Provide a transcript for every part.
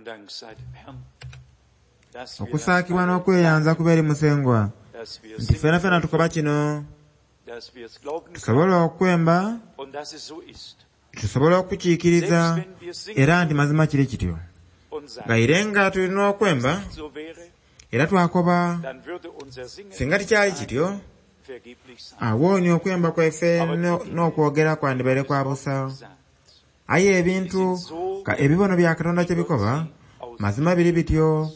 Dank sei dem Herrn, dass wir das Okusaakibwa alle n'okweyanza kuba eri Musengwa dass wir nti singen fena fena tukoba kino dass wir es glauben können tusobole okwemba und dass es so ist. tusobole okukiikiriza Selbst wenn wir singen era nti mazima kiri kityo und sagen, gaire nga tulina okwemba so wäre, era twakoba dann würde unser Singen singa tikyali kityo vergeblich sein. awooni okwemba kwaife n'okwogera kwandibaire kwa busa Sagt, aye ebintu ka ebibono bya Katonda kye bikoba mazima biri bityo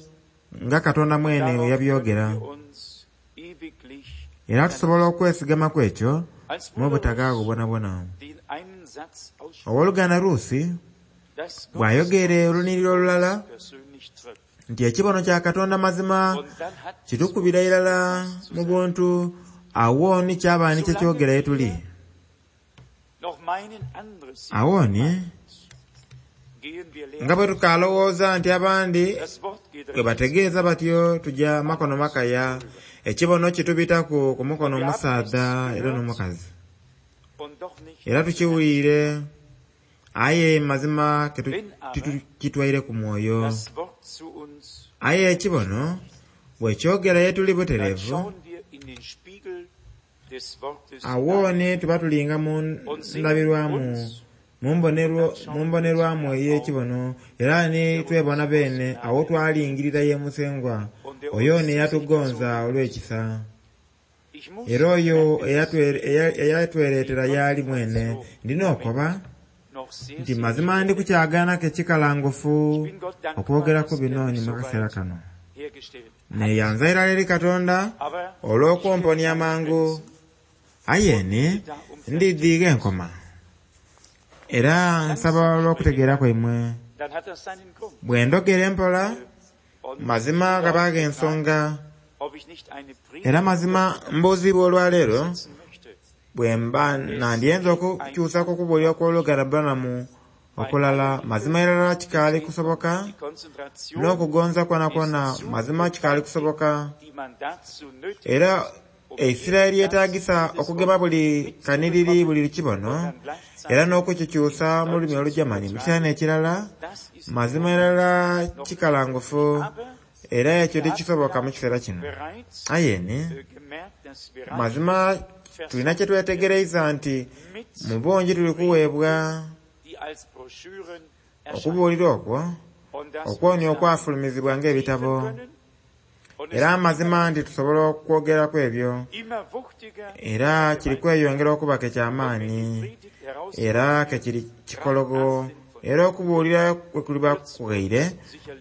nga Katonda mwene darauf yabyogera können wir uns ewiglich era tusobola okwesigamaku ekyo als mu Bruder butagaago Russ bwonabwona den einen Satz ausspricht, owooluganda Ruusi dass Gottes bw'ayogera oluniriro olulala persönlich trifft. nti ekibono kya Katonda mazima Und dann hat es kitukubira irala mu buntu awooni kyabaani kye kyogera ye tuli noch meinen anderes awooni gehen wir leer. nga bwe tukalowooza nti abandi Das Wort geht bwe bategeeza batyo tujja makono makaya ekibono kitubitaku ku mukono omusaadha era n'omukazi und doch nicht. era tukiwulire aye mazima titukitwaire ku mwoyo Das Wort zu uns, aye ekibono bwe kyogera ye tuli dann butereevu schauen wir in den Spiegel des Wortes hinein awooni tuba tulinga mu und sehen ndabirwamu uns mu mbonerwamu ey'ekibono era ni twebona beene awo twalingirira ye Musengwa oyo neyatugonza olw'ekisa Ich muss era oyo eyatwereetera y'ali mwene ndina okoba noch sehr, nti sehr mazima ndi kukyagaanako ekikalangufu Ich bin Gott dankbar, okwogeraku dass er bino mich ni mu so kaseera weit kano hergestellt. neyanza irala eri Katonda Aber olw'okwomponya amangu aye ni ndidhiiga enkoma era nsaba olw'okutegeera kwaimwe dann hat das seinen Grund. bwe ndogera empola Und mazima gabaaga ensonga ob ich nicht eine Predigt era mazima mbuuzibwa olwaleero setzen möchte, bwe mba nandyenza okukyusa ku kubuulira kw'oluganda Branham okulala mazima irala kikaali kusoboka die Konzentration, n'okugonza kwona mazima kikaali kusoboka die man dazu nötig era eisira eryetaagisa okugema buli kaniriri buli kibono dann gleichzeitig era n'okukikyusa mu lulimi Olujamani mu kiseera n'ekirala das ist mazima irala kikalangufu aber era ekyo tekisoboka mu kiseera kino bereits aye ni gemerkt, dass wir mazima tulina kye twetegereza nti mit, mu bungi tuli kuweebwa die als Broschüren erscheinen. okubuulira okwo Und dass okwonya wir uns okwafulumizibwa ng'ebitabo können und es era amazima nti tusobola okwogeraku ebyo immer wuchtiger era kiri kweyongera okuba ke kyamaanyi Predigt heraus era ke kiri kikologo era okubuulira kwe kuliba kughaire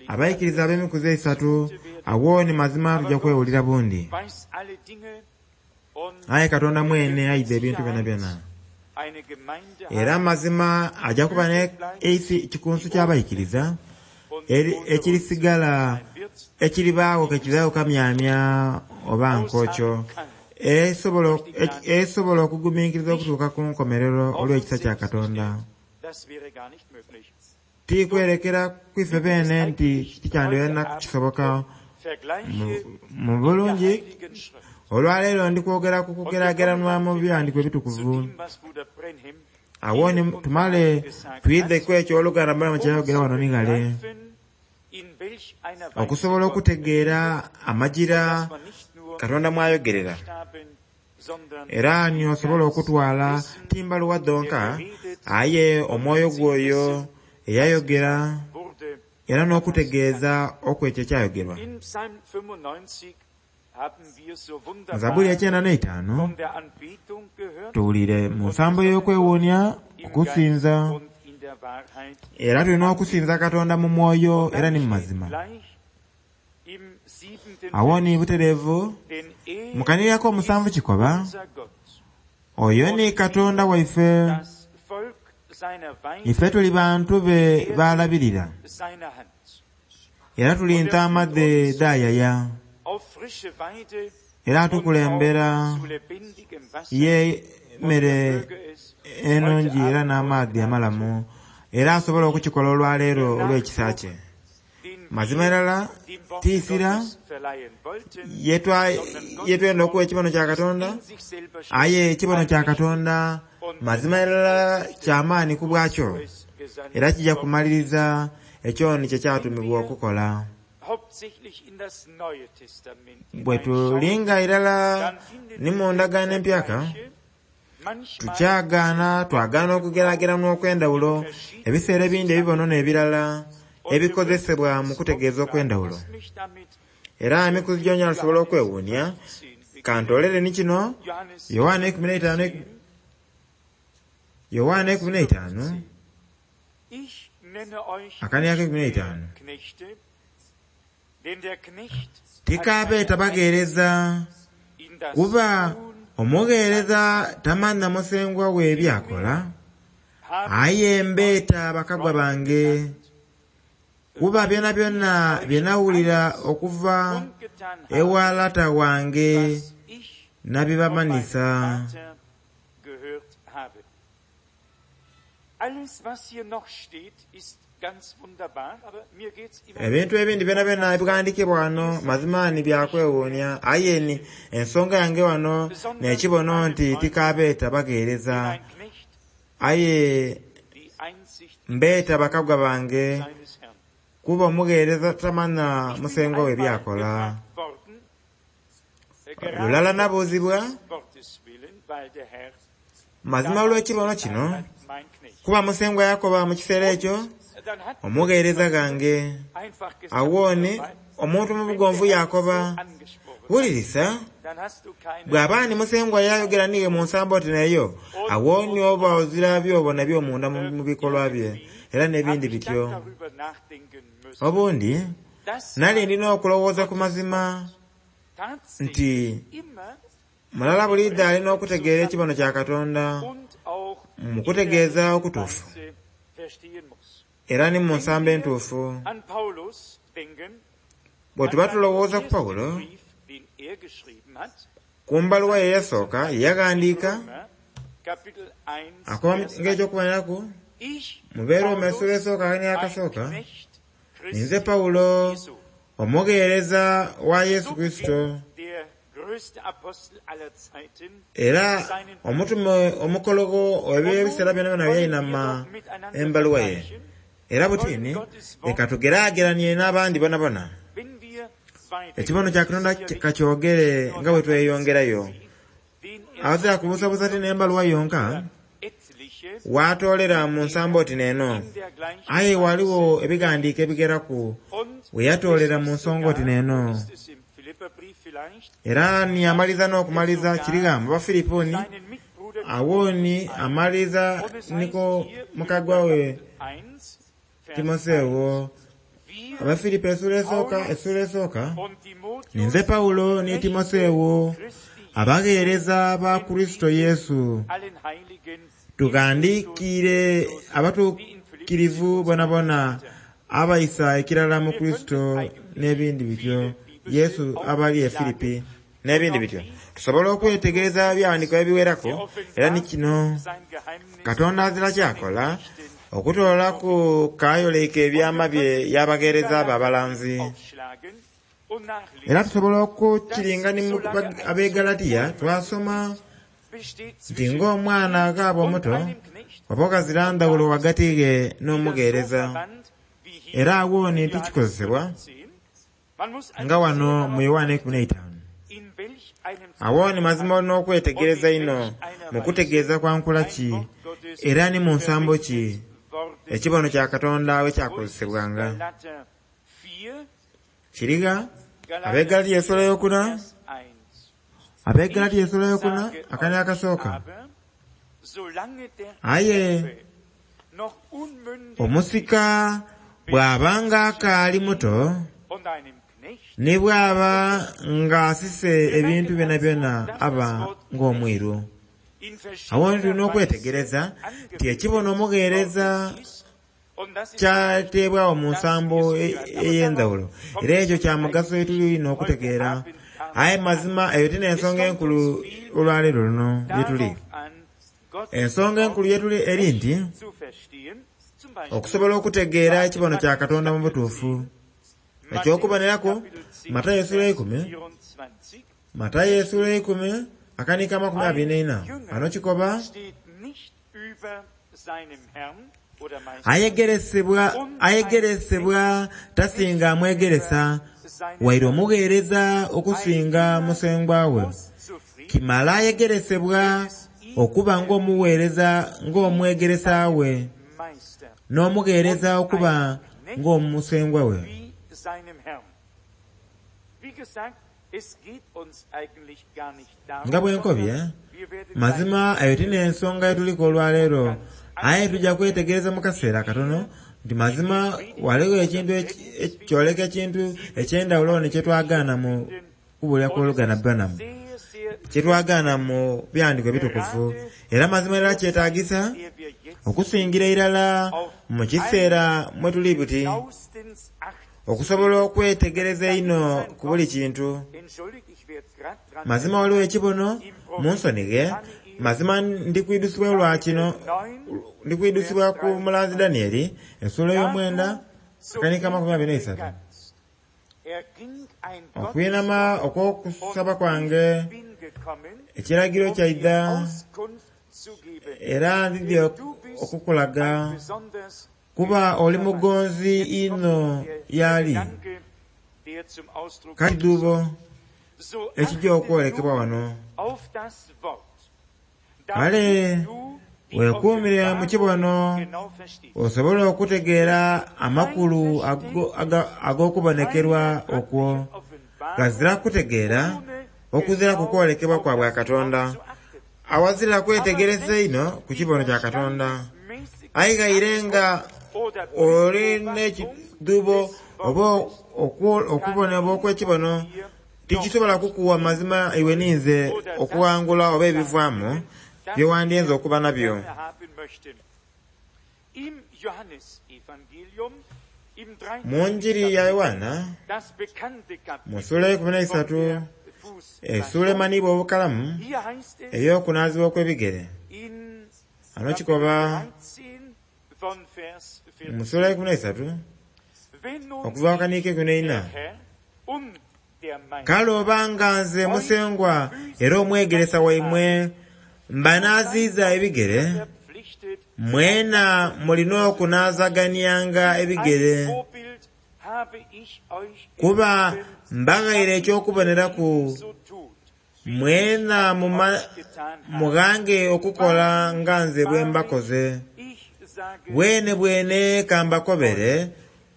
abayikiriza ab'emikuzi esatu awooni mazima tujja kwewulira bundi weiß alle Dinge und aye Katonda mwene aidha ebintu byona byona eine Gemeinde era mazima ajja kuba ne eisi kikunsu ky'abayikiriza ekirisigala wird, ekiribaawo kekiraawo kamyamya oba nkokyo esobola okugumiikiriza okutuuka ku nkomerero olw'ekisa kya Katonda das wäre gar nicht möglich. tikwerekera kwife beene nti tikyandibeera kisoboka Vergleiche mu bulungi Heiligen Schrift olwaleero ndi kwogera ku kugeraageranwa mu biwandiiko zu ebitukuvu dem, was Bruder Branham awo ni tumale twidheku ekyo oluganda Branham kyayogera wano ni ghale begreifen, in welch einer Weise okusobola Gott, okutegeera amajira dass man nicht nur Katonda mwayogerera Buchstaben, sondern era ni osobola okutwala timbaluwa dhonka aye omwoyo gwoyo eyayogera wurde. era n'okutegeeza okwekyo ekyayogerwa In Psalm 95 haben wir so mu Zabbuli wunderbar ekyenda n'eitaano von der Anbetung gehört, tuwulire mu nsambo y'okwewuunya im okusinza Geist und in der Wahrheit. era tulina okusinza Katonda mu mwoyo era ni mu mazima Gleich im siebenten awo ni butereevu denn er mu kanirako omusanvu kikoba unser Gott, oyo ni Katonda waife das Volk seiner Weide, ife tuli bantu be baalabirira seiner Hand. era tuli ntaama dhe dhaayaya Auf frische Weide era und atukulembera auch zu lebendigem Wasser, ye emmere möge es ennungi era n'amaadhi amalamu era asobola okukikola olwaleero olw'ekisa kye den mazima irala dem Wort tiisira Gottes verleihen wollten, yetwenda okuwa ekibono kya Katonda in sich selber aye ekibono kya Katonda mazima irala kyamaanyi ku bwakyo es gesandt era kijja kumaliriza Ekyo ni kye kyatumibwa okukola. Hauptsächlich in das Neue Testament Bwe tulinga irala dann finden ni mu wir ndagaano empyaka, Vergleiche, manchmal tukyagaana twagaana okugeraagerana okw'endawulo ebiseera ebindi ebibono n'ebirala ebikozesebwa mu kutegeeza okw'endawulo. Lass mich damit Era emikuzi gyonyala tusobola okwewuunya, 15 kantoolere ni kino, Johannes Yowaana 15, Yowaana 15, Ich nenne euch akaniaka nicht mehr 15. Knechte, denn der Knecht hat Tikaabeeta keine bagheereza, in das kuba Tun omugheereza tamanha musengwa we byakola, habe aye mbeeta bakagwa bange, kuba byonabyona bye nawulira okuva und getan habe, ewa lata wange was ich von meinem nabibamanisa. Vater gehört habe. Alles, was hier noch steht, ist ganz wunderbar, aber mir geht's immer Ebintu ebindi byonabyona ebighandikibwa wano mazima ni byakwewuunya, aye ni ensonga yange wano n'ekibono nti tikaabeeta bagheereza, ein Knecht aye die Einsicht mbeeta bakagwa bange, seines Herrn. kuba omugheereza tamanha Ich bin musengwa we einmal byakola. gefragt worden, gerade Lulala nabuuzibwa, des Wortes willen, weil der Herr mazima olw'ekibono kino, damals mein Knecht. kuba musengwa yakoba mu kiseera ekyo, Dann hat omugheereza gange. einfach gesagt, Awo ni "Weil, omuntu mu wenn bugonvu der Herr yakoba, so angesprochen hat, wulirisa, dann hast du keine bw'aba ni musengwa yayogera niiwe mu nsambo oti neyo, awo ni oba ozira by'obona by'omunda mu bikolwa bye, era n'ebindi Hab ich bityo. dann darüber nachdenken müssen, Obundi, dass nali ndina okulowooza ku mazima tatsächlich nti immer mulala bulidde alina okutegeera ekibono kya Katonda und auch mu in kutegeeza der okutuufu Weise verstehen muss. era ni mu nsambo entuufu. An Paulus denken, Bwe an tuba seinen tulowooza ku ersten Pawulo, Brief, den er geschrieben hat, ku mbaluwa ye eyasooka ye yaghandiika, Römer, Kapitel 1, akoba Vers 1. ng'ekyokuboneraku, Ich, mu Beeroma essuula Paulus, esooka ein n'akasooka, Knecht ninze Christi Pawulo, Jesu, omugheereza wa Yesu so Kristo, beginnt der größte Apostel aller Zeiten era seinen omutume omukologo eb'ebiseera byona byona Und nun wollen wir byayinama doch miteinander embaluwa ye. vergleichen, Era butini, leka tugeraageranye n'abandi bonabona. wenn wir weiter Ekibono kya Katonda kakyogere nga bwe tweyongerayo. den er Abazira kubuusabuusa ti n'embaluwa yonka, etliche waatoolera mu nsambo oti n'eno. in der gleichen Aye waliwo ebighandiiko ebigeraku und we yatoolera mu es ist nsonga oti sogar, n'eno. ist es im Philipperbrief vielleicht, Era ni amaliza n'okumaliza kirigamba Abafiriponi, seinen Mitbruder awo ni amaliza Und es heißt niko hier, mukagwa we Philipper Kapitel 1, Vers Timoseewo. 1, wir Abafiripo essuula esooka, essuula esooka, und Timotheus, ninze Pawulo ne Timoseewo, Christi abagheereza ba Kristo Yesu, allen Heiligen tughandiikire abatuukirivu bonabona abayisa ekirala mu Kristo n'ebindi bityo, Yesu abali e Firipi n'ebindi bityo. Tusobola okwetegereza ebyawandiikibwa ebiwerako, era ni kino sein Geheimnis Katonda azira kyakola okutoolaku kaayoleka ebyama bye y'abagheereza be abalanzi. aufschlagen und nachlesen, Era tusobola okukiringa ni mu ab'e Galatiya twasoma besteht nti zwischen ng'omwana akaaba und omuto einem Knecht, oba okazira ndawulo wagati ge wieder so n'omugheereza. verwandt wie hier Era awo ni in Johannes tikikozesebwa 15. Man muss nga also wano sehr mu darauf Yowaana 15. in welch einem Awo ni mazima olina okwetegereza ino mu kutegeeza kwa nkula ki Wort Gottes era ni mu nsambo ki worden ekibono kya Katonda we Wo ist es? kyakozesebwanga. Galater 4, Kiriga Galater ab'e essuula ey'okuna, Vers 1. ab'e Galatiya essuula ey'okuna Sage akani euch akasooka. aber, solange der Aye Neffe noch unmündig omusika bw'abanga akaali muto und einem Knecht ne bw'aba ng'asise ebintu byona byona aba ng'omwiru. in Awo tulina verschiedener Weise okwetegereza nti ekibono angewendet omugheereza worden ist, und das ist kyateebwawo mu nsambo ey'endawulo era ekyo kya mugaso etulina okutegeera. Aye mazima eyo ti n'ensonga enkulu olwaleero luno gye tuli. darauf an, Gottes Ensonga enkulu gye tuli eri nti zu verstehen, zum Beispiel okusobola okutegeera ekibono kya Katonda mu butuufu. Ekyokuboneraku, Matayo essuula eikumi, 24 Matayo essuula eikumi, akanika 24, ano kikoba, steht nicht über seinem Herrn, Ayegeresebwa tasinga amwegeresa, waire omugheereza okusinga musengwa we. Kimala ayegeresebwa okuba ng'omugheereza ng'omwegeresa we, n'omugheereza okuba ng'omusengwa we. Nga bwe nkobye, mazima eyo ti n'ensonga yetuliku olwaleero, aye tujja kwetegereza mu kaseera katono nti mazima ghaligho ekintu kyoleka ekintu eky'endhawulo ni kyetwagaana mu kubuulira kw'oluganda Branham, kyetwagaana mu byandiiko ebitukuvu. Era mazima irala kyetaagisa okusingira irala mu kiseera mwe tuli buti, okusobola okwetegereza einho ku buli kintu. Mazima waliwo ekibono munsonighe, mazima ndikwidusibwa olwa kino, ndikwidusibwa ku mulanzi Danieli essuula ey'omwenda akanika 23. Okwinama okw'okusaba kwange ekiragiro kyaidha era ndidhi okukulaga kuba oli mugonzi inho y'ali. Kati ekijja okwolekebwa wano. Kale weekuumire mu kibono osobole okutegeera amakulu ag'okubonekerwa okwo. Ghazira kutegeera okuziraku kwolekebwa kwa bwa Katonda. Awazira kwetegereza inho ku kibono kya Katonda. Aye ghaire nga oli n'ekidhuubo oba okubonebwa okw'ekibono, tikisobola kukuwa mazima iwe ninze okughangula oba ebivaamu byewandyenze okuba nabyo. Mu njiri ya Yoanna, mu ssuula eyeikumi n'eisatu, essuula emanhiibwa obukalamu ey'okunaazibwa okw'ebigere. Ghano kikoba mu ssuula eyeikumi n'eisatu okuva ku kaniiko eikumi n'eina, kale oba nga nze Musengwa era omwegeresa waimwe mbanaaziiza ebigere, mwena mulina okunaazaganianga ebigere. Kuba mbaghaire eky'okuboneraku, mwena mughange okukola nga nze bwe mbakoze. Bwene bwene ka mbakobere,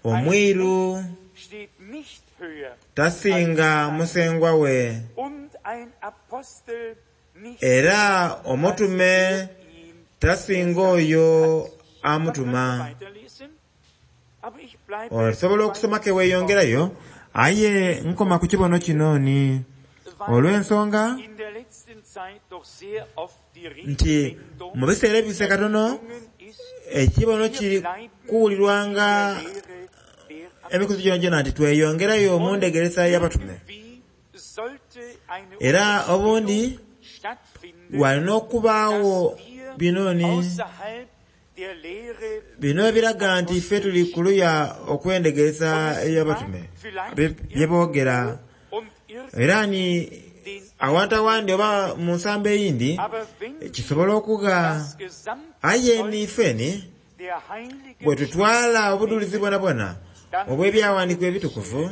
omwiru tasinga musengwa we, era omutume tasinga oyo amutuma. Osobola okusoma ke weeyongerayo, aye nkoma ku kibono kino ni olw'ensonga nti mu biseera ebibise katono ekibono kiri kuwulirwanga emikuzi gyonagyona nti tweyongerayo mu ndhegeresa y'abatume. Era obundi walina okubaagho bino ni bino ebiraga nti ife tuli ku luya okw'endhegeresa ey'abatume bye boogera. Era ni awantu awandi oba mu nsambo eyindi kisobola okugha. Aye ni ifeni bwe tutwala obudhulizi bwonabwona obw'ebyawandiikibwa ebitukuvu,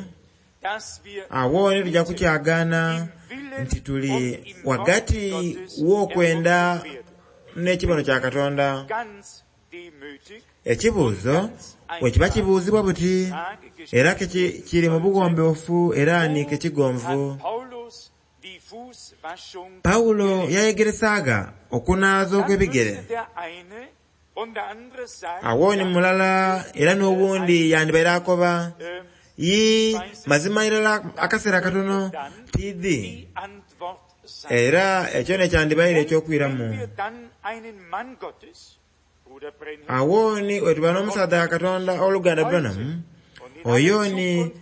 agho ni tuja kukyagaana nti tuli ghagati w'okwenda n'ekibono kya Katonda. Ekibuuzo bwe kiba kibuuzibwa buti, era ke kiri mu bughombefu era ni ke kigonvu. Pawulo yayegeresagha okunaaza okw'ebigere. Agho ni mulala era n'owundi yandibaire akoba, Yii, mazima irala akaseera katono tiidhi. Era ekyo n'ekyandibaire eky'okwiramu. Agho ni bwetuba n'omusaadha wa Katonda oluganda Branham, oyo ni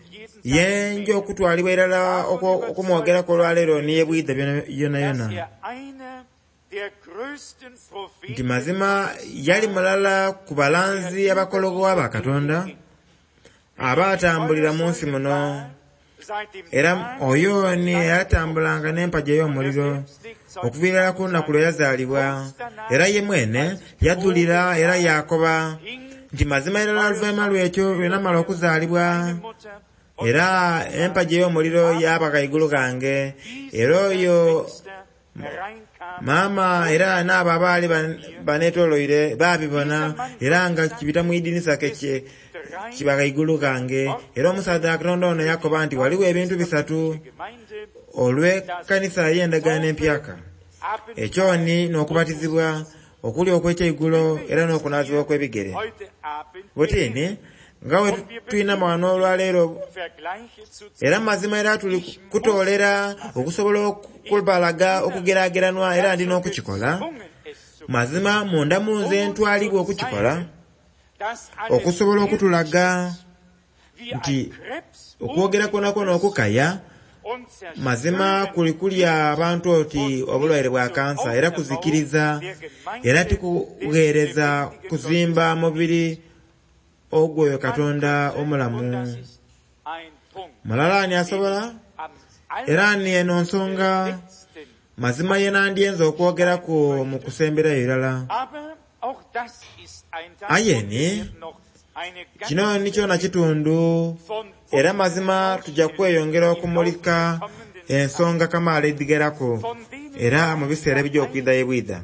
yenja okutwalibwa irala okumwogeraku olwaleero ni ye bwidha yonayona. Nti mazima yali mulala ku balanzi abakologho aba Katonda abaatambulira mu nsi muno. Era oyo ni eyatambulanga n'empagi ey'omuliro okuviira irala ku lunaku lwe yazaalibwa. Era ye mwene yadhulira era yakoba nti mazima irala oluvainhuma lw'ekyo lwe namala okuzaalibwa, era empagi ey'omuliro yaba ghaigulu ghange. Era oyo maama era n'abo abaali banetoloire babibona, era nga kibita mu idinisa ke kiba ghaigulu ghange. Era omusaadha wa Katonda ono yakoba nti waliwo ebintu bisatu olw'ekanisa ey'endagaano empyaka. Ekyo ni n'okubatizibwa, okulya okw'ekyeigulo era n'okunaazibwa okw'ebigere. Butini nga bwe twinama wano olwaleero, era mazima era tuli kutoolera okusobola okubalaga okugerageranwa era ndi n'okukikola. Mazima munda mu nze ntwalibwa okukikola, okusobola okutulaga nti okwogera kwonakwo okukaya mazima kuli kulya abantu oti obulwaire bwa kansa, era kuzikiriza, era tikugheereza kuzimba mubiri ogw'oyo Katonda omulamu. Mulala ani asobola? Era ni eno nsonga mazima ye nandyenze okwogeraku mu kusemberayo irala. Aye ni kino ni kyona kitundu, era mazima tujja kweyongera okumulika ensonga kamaala edhigeraku era mu biseera ebijja okwidha ye bwidha.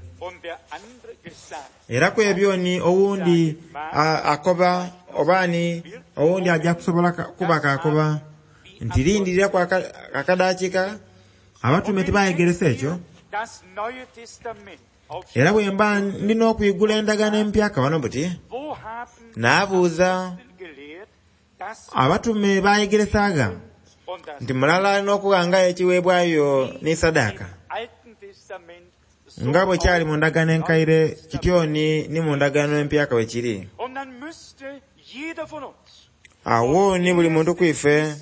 Era ku ebyo ni owundi akoba oba ni owundi ajja kusobola kuba kakoba nti lindiriraku akadakiika abatume tibayegeresa ekyo. Era bwe mba ndina okwigula endagaano empyaka wano buti, naabuuza abatume bayegeresaaga nti mulala alina okughangayo ekiweebwayo ni sadaka nga bwe kyali mu ndagaano enkaire kityo ni mu ndagaano empyaka bwe kiri. Awo ni buli muntu kwife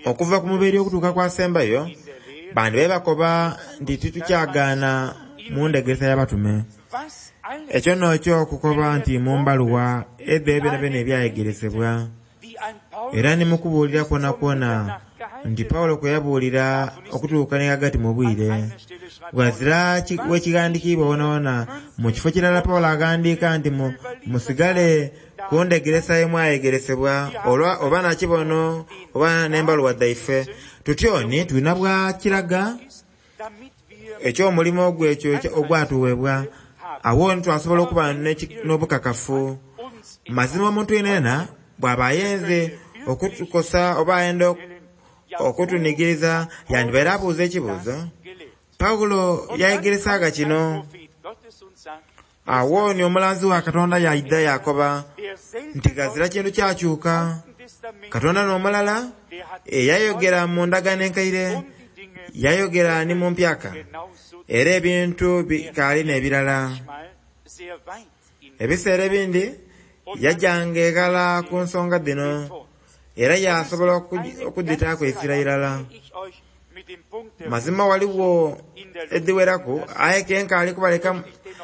okuva ku mubiri okutuuka kwasembayo, bandi be bakoba nti titukyagaana mu ndegeresa y'abatume. Ekyo n'ekyo okukoba nti mu mbaluwa edho byonabyona ebyayegeresebwa, era ni mu kubuulira kwonakwona nti Pawulo kwe yabuulira okutuuka ni ghagati mu bwire. Ghazira wekighandikiibwa wonawona mu kifo kirala Pawulo aghandiika nti musigale ku ndegeresa ye mwayegeresebwa oba nakibono oba n'embaluwa dhaife. Tutyo ni tulina bwa kiraga eky'omulimo ogwo ekyo ogwatuweebwa. Awo ni twasobola okuba n'obukakafu. Mazima omuntu yenayena bw'aba ayenze okutukosa oba ayenda okutunigiriza yandibaire abuuza ekibuuzo. Pawulo yayegeresaaga kino. Awo ni omulanzi wa Katonda yaidha yakoba nti ghazira kintu kyakyuka. Katonda n'omulala eyayogera mu ndagaano enkaire, yayogera ni mu mpyaka, era ebintu bikaali n'ebirala. Ebiseera ebindi yajjanga eghala ku nsonga dhino era yasobola okudhitaaku eisira irala. Mazima waliwo edhiweraku aye ke nkaali kubaleka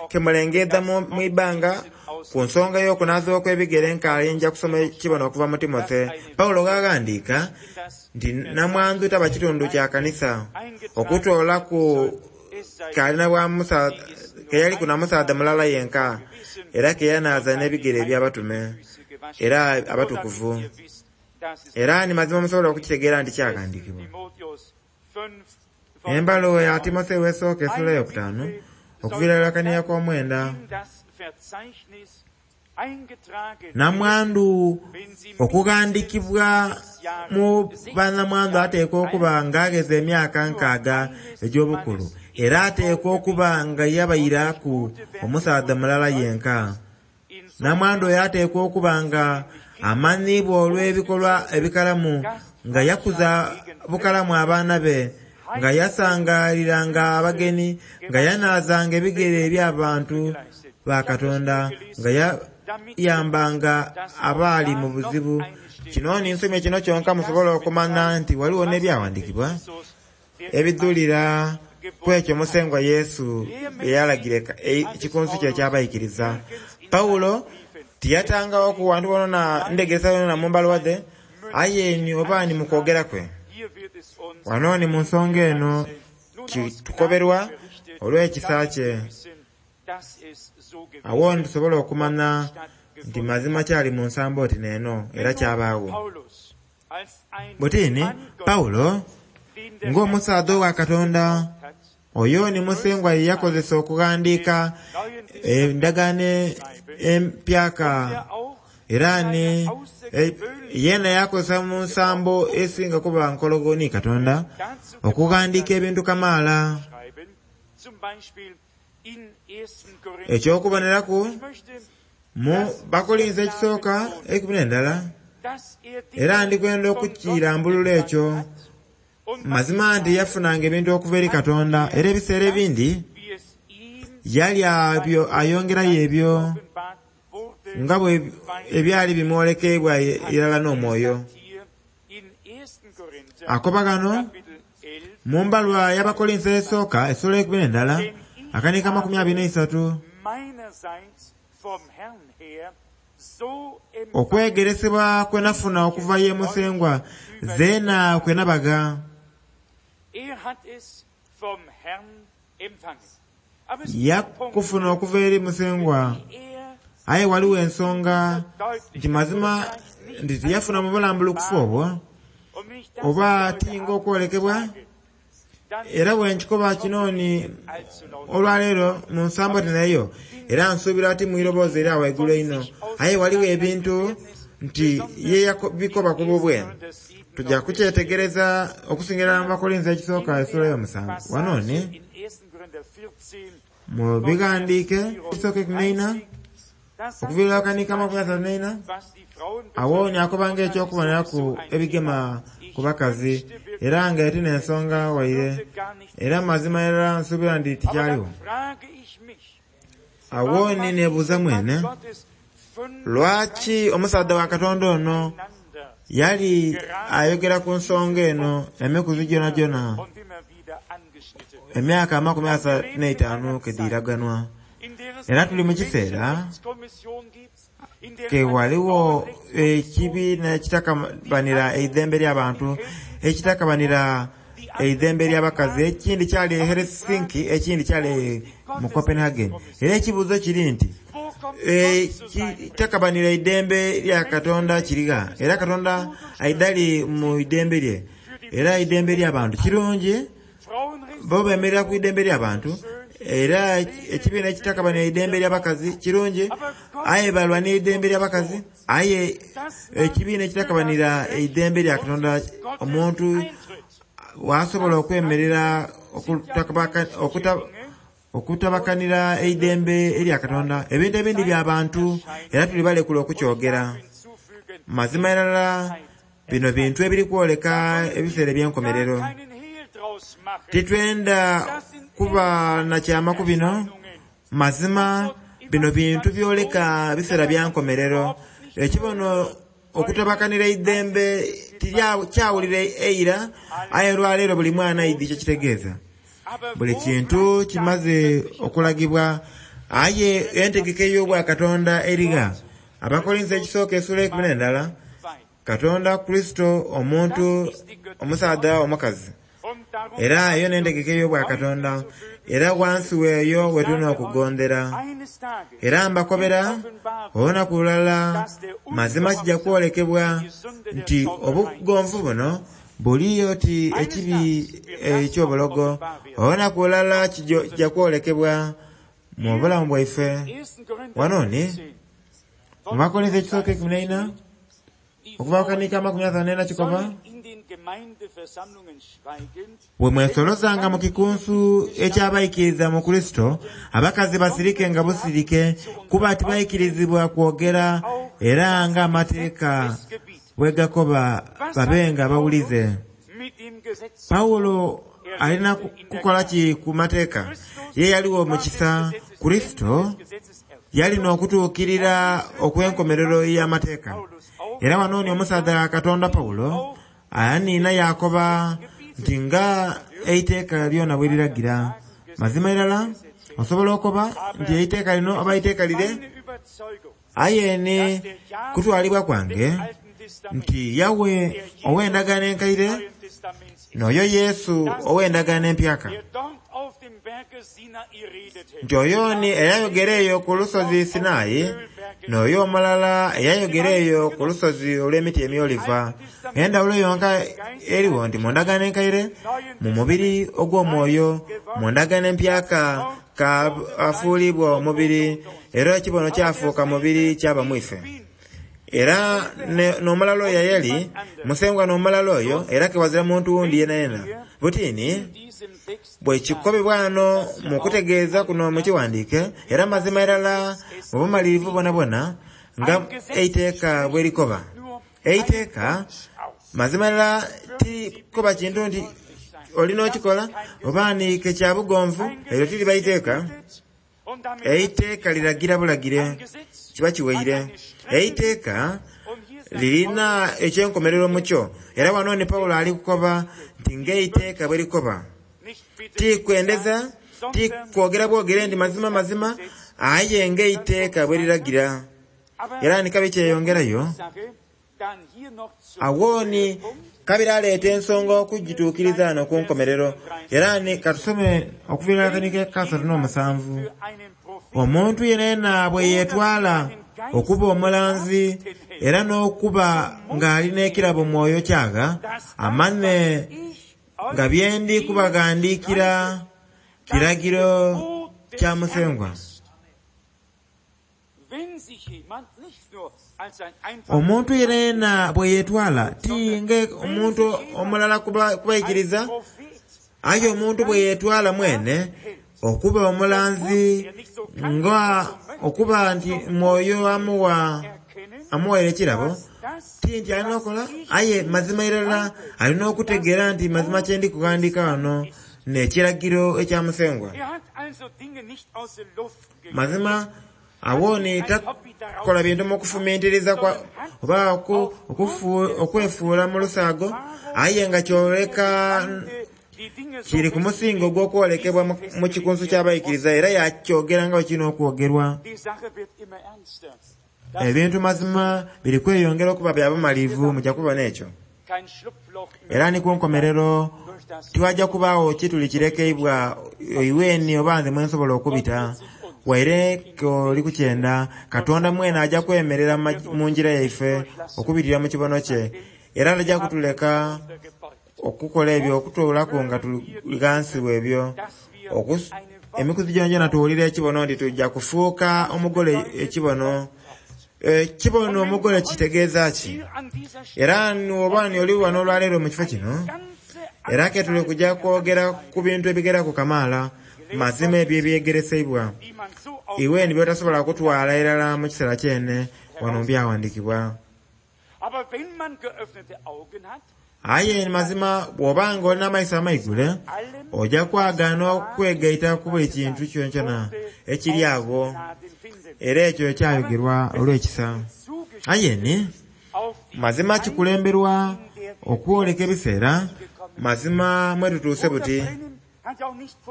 kemulengedha mu ibanga ku nsonga y'okunaazibwa okw'ebigere nkaali nja kusoma ekibono okuva mu Timothy. Pawulo ghaghandiika nti namwandu taba kitundu kya kanisa okutoolaku keyaliku na musaadha mulala yenka era keyanaaza n'ebigere eby'abatume era abatukuvu. Era ni mazima musobola okukitegeera nti kyaghandiikibwa. Embaluwa ya Timotheo esooka essuula eyokutaanu okuviira irala kaniya k'omwenda. Namwandu okughandikibwa mu banamwandu ateekwa okuba nga agheza emyaka nkaaga egy'obukulu, era ateekwa okuba nga yabairaku omusaadha mulala yenka. Namwandu oyo ateekwa okuba nga amanhiibwa olw'ebikolwa ebikalamu, nga yakuza bukalamu abaana be, nga yasangaliranga abageni, nga yanaazanga ebigere eby'abantu ba Katonda, nga yayambanga abaali mu buzibu. Kino ni nsomye kino kyonka musobole okumanya nti waliwo n'ebyaghandiikibwa ebidhulira ku ekyo Musengwa Yesu bye yalagira ekikunsu kye eky'abaikiriza. Pawulo tiyatangawo ku wantu wonawona ndegeresa yonayona mu mbaluwa dhe. Aye ni oba ni mu kwogera kwe. Wano ni mu nsonga eno kitukoberwa olw'ekisa kye. Awo nitusobola okumanya nti mazima kyali mu nsambo oti n'eno era kyabaawo. Butini Pawulo ng'omusaadha owa Katonda oyo ni Musengwa ye yakozesa okughandiika endagaano empyaka era ni yena yakozesa mu nsambo esinga kuba nkologo ni Katonda okughandiika ebintu kamaala. Eky'okuboneraku mu Bakolinso ekisooka 11 era ndikwenda okukirambulula ekyo mazima nti yafunanga ebintu okuva eri Katonda era ebiseera ebindi yali ayongerayo ebyo nga bwe ebyali bimwolekebwa irala n'omwoyo. Akoba ghano mu mbalwa y'Abakolinso esooka essula 11 akanika 23 okwegeresebwa kwe nafuna okuva ye Musengwa zeena kwe nabaga. Yakufuna okuva eri Musengwa aye waliwo ensonga nti mazima nti tiyafuna mu bulambulukufu obwo oba tinga okwolekebwa era bwenkikoba kino ni olwaleero mu nsambo tineeyo era nsuubira ti mwiroboozi era waigulu einho aye waliwo ebintu nti ye yabikoba ku bubwe. Tujja kukyetegereza okusingira mu Bakolinso ekisooka essula y'omusanvu. Wano ni mu bighandiike ekisooka 14 okuviira akanika 34 awo ni akobanga eky'okuboneraku ebigema ku bakazi era nga eti n'ensonga waire era mazima era nsuubira nti tikyaliwo. Awo ni neebuuza mwene lwaki omusaadha wa Katonda ono yali ayogera ku nsonga eno emikuzi gyonagyona emyaka 35 kedhiraganwa. Era tuli mu kiseera ke waliwo ekibiina ekitakabanira eidembe ly'abantu, ekitakabanira eidembe ly'abakazi, ekindi kyali e Helsinki, ekindi kyali mu Copenhagen. Era ekibuuzo kiri nti ekitakabanira eidembe lya Katonda kirigha? Era Katonda aidali mu idembe lye era eidembe ly'abantu kirungi bo bemerera ku idembe ly'abantu era ekibiina ekitakabanira eidembe ly'abakazi kirungi aye balwanira eidembe ly'abakazi aye ekibiina ekitakabanira eidembe lya Katonda omuntu wasobola okwemerera okutabakanira eidembe erya Katonda. Ebintu ebindi bya bantu era tuli balekula okukyogera. Mazima irala bino bintu ebiri kwoleka ebiseera eby'enkomerero. Titwenda kuba na kyama ku bino. Mazima bino bintu byoleka biseera bya nkomerero. Ekibono okutabakanira eidembe tikyawulira eira aye olwaleero buli mwana aidhi kyekitegeeza. Buli kintu kimaze okulagibwa aye entegeka ey'obwakatonda erigha. Abakolinso ekisooka essula 11 Katonda Kurisito omuntu omusaadha omukazi era eyo n'entegeka ey'obwakatonda era wansi weeyo wetulina okugondera. Era mbakobera olunaku lulala mazima kijja kwolekebwa nti obugonvu buno buli oti ekibi eky'obulogo. Olunaku lulala kijja kwolekebwa mu bulamu bwaife. Wano ni mu Bakolinso ekisooka 14 okuva kanika 34 kikoba bwe mwesolozanga mu kikunsu eky'abaikiriza mu Kurisito abakazi basirike nga busirike kuba tibaikirizibwa kwogera era ng'amateeka bwe gakoba babenga bawulize. Pawulo alina kukola ki ku mateeka? Ye yaliwo mu kisa Kurisito yalina okutuukirira okw'enkomerero y'amateeka. Era wano ni omusaadha Katonda Pawulo aniina yakoba nti nga eiteeka lyona bwe liragira. Mazima irala osobola okoba nti eiteeka lino oba eiteeka lire aye ni kutwalibwa kwange Nti Yawe ow'endagaano enkaire n'oyo Yesu ow'endagaano empyaka. Nti oyo ni eyayogera eyo ku lusozi Sinai n'oyo omulala eyayogera eyo ku lusozi olw'emiti emyoliva. Endawulo yonka eriwo nti mu ndagaano enkaire mu mubiri ogw'omwoyo, mu ndagaano empyaka kafuulibwa omubiri era ekibono kyafuuka mubiri kyaba mwife. Era n'omulala oyo eyali musengwa n'omulala oyo era kewazira muntu wundi yena yena. Butini bwekikobebwa wano mu kutegeeza kuno mu kiwandiike era mazima irala mu bumalirivu bwonabwona nga eiteeka bwerikoba. Eiteeka mazima irala tirikoba kintu nti olina okikola oba ni kya bugonvu, eryo tiriba iteeka. Eiteeka liragira bulagire kiba kiwaire. Eiteeka lirina ekyenkomerero mukyo era wano ni Pawulo ali kukoba nti ng'eiteeka bwe likoba. Tikwendeza, tikwogera bwogere nti mazima mazima, aye ng'eiteeka bwe liragira. Era ni kabi kyeyongerayo awo ni kabiri aleeta ensonga okugituukiriza wano ku nkomerero. Era ni katusome okuviira akanike kasatu n'omusanvu. Omuntu yenayena bwe yeetwala okuba omulanzi era n'okuba ng'alina ekirabo mwoyo kyagha, amane nga byendi kubaghandiikira kiragiro kya Musengwa. Omuntu yenayena bwe yeetwala ti nga omuntu omulala kubaikiriza, aye omuntu bwe yeetwala mwene okuba omulanzi nga okuba nti mwoyo amuwaire ekirabo, ti nti alina okola, aye mazima irala alina okutegeera nti mazima kyendi kughandiika wano n'ekiragiro ekya Musengwa. Mazima awo ni takola bintu mu kufumintiriza oba okwefuula mu lusaago, aye nga kyoleka kiri ku musingo ogw'okwolekebwa mu kikunsu ky'abaikiriza era yakyogera nga bwe kirina okwogerwa. Ebintu mazima biri kweyongera okuba bya bumalirivu mujja kubona ekyo. Era ni ku nkomerero tiwajja kubaawo kituli kirekeibwa iweni oba nze mwe nsobola okubita. Waire k'oli kukyenda, Katonda mwene ajja kwemerera mu ngira yaife okubitira mu kibono kye. Era tajja kutuleka okukola ebyo okutuulaku nga tuli ghansi w'ebyo. Emikuzi gyongyona tuwulira ekibono nti tujja kufuuka omugole ekibono. Ekibono omugole kitegeeza ki? Era oba ni oli wano olwaleero mu kifo kino, era ke tuli kujja kwogera ku bintu ebigeraku kamaala mazima ebyo ebyegereseibwa iwe ni by'otasobola kutwala irala mu kiseera kyene wano mu byawandiikibwa. Aye mazima bw'obanga olina amaiso amaigule, ojja kwagaana okwegaita ku buli kintu kyonkyona ekiri agho, era ekyo ekyayogerwa olw'ekisa. Aye ni mazima kikulemberwa okwoleka ebiseera mazima mwetutuuse buti.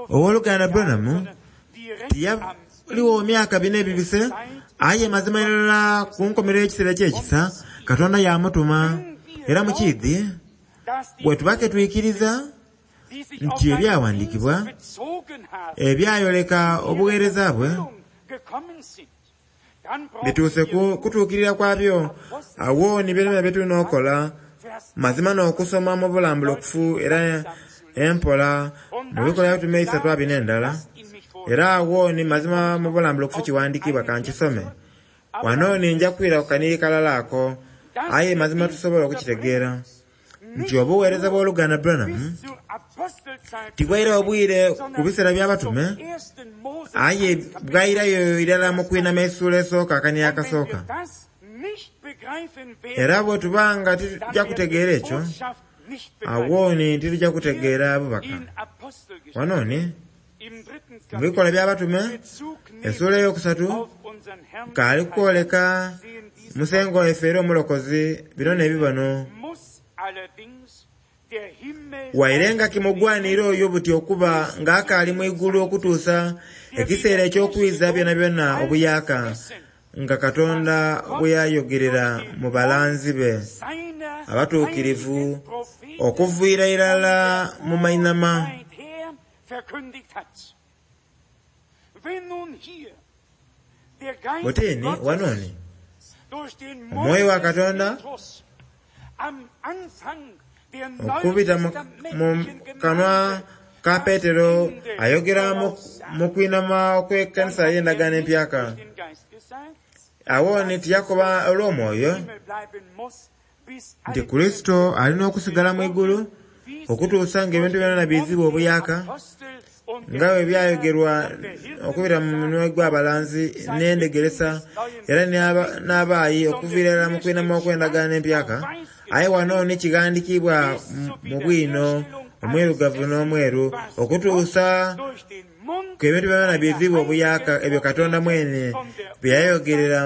Owooluganda Branham tiyaliwo myaka bina ebibise, aye mazima irala ku nkomerero y'ekiseera eky'ekisa Katonda yamutuma. Era mukiidhi bwe tuba ke twikiriza nti ebyawandiikibwa ebyayoleka obuweereza bwe bituuse kutuukirira kwabyo, awo ni byona bye tulina okukola mazima n'okusoma mu bulambulukufu era empola mu bikolwa byatume isatu abina endala. Era awo ni mazima mu bulambulukufu kiwandiikibwa kankisome. Wano ni nja kwira ku kaniri kalala ako, aye mazima tusobola okukitegeera nti obuweereza bw'oluganda Branham tibwaira obwire ku biseera by'abatume, aye bwairayo irala mu kwinama essuula esooka akaniri akasooka. Era bwe tuba nga titujja kutegeera ekyo, awo ni titujja kutegeera bubaka. Wano ni mu bikolwa by'abatume essuula eyokusatu kaali kukwoleka Musengwa waife era omulokozi bino n'ebibono. Waire nga kimugwanira oyo buti okuba ng'akaali mu igulu okutuusa ekiseera eky'okwiza byonabyona obuyaaka, nga Katonda bwe yayogerera mu balanzi be abatuukirivu okuviira irala mu mainama. Butini wanoni omwoyo wa Katonda okubita mu kanwa ka Petero ayogera mu kwinama okw'ekkanisa y'endagaano empyaka. Awo ni tiyakoba olw'omwoyo nti Kurisito alina okusigala mu igulu okutuusa ng'ebintu byona biizibwa obuyaka nga bwe byayogerwa okubita mu minwe gw'abalanzi n'endegeresa era n'abaayi okuviira irala mu kwinama okw'endagaano empyaka. Aye wano ni kighandiikibwa mu bwino omwirugavu n'omweru okutuusa ku ebintu byona biizibwa obuyaka ebyo Katonda mwene bye yayogerera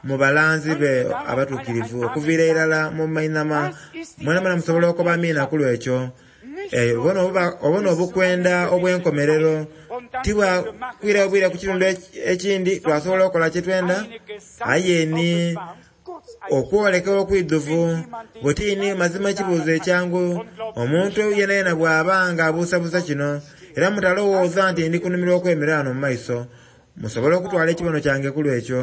mu balanzi be abatuukirivu okuviira irala mu mainama. Mwenamwena musobola okuba amiina ku lwekyo. Obona obukwenda obw'enkomerero tibwakwira bwira ku kitundu ekindi twasobola okukola kyetwenda, aye ni okwolekebwa okwidhuvu butini mazima ekibuuzo ekyangu omuntu yenayena bw'aba nga abuusabuusa kino era mutalowooza nti ndi kunumirwa okwemerera wano mu maiso musobole okutwala ekibono kyange ku lwekyo.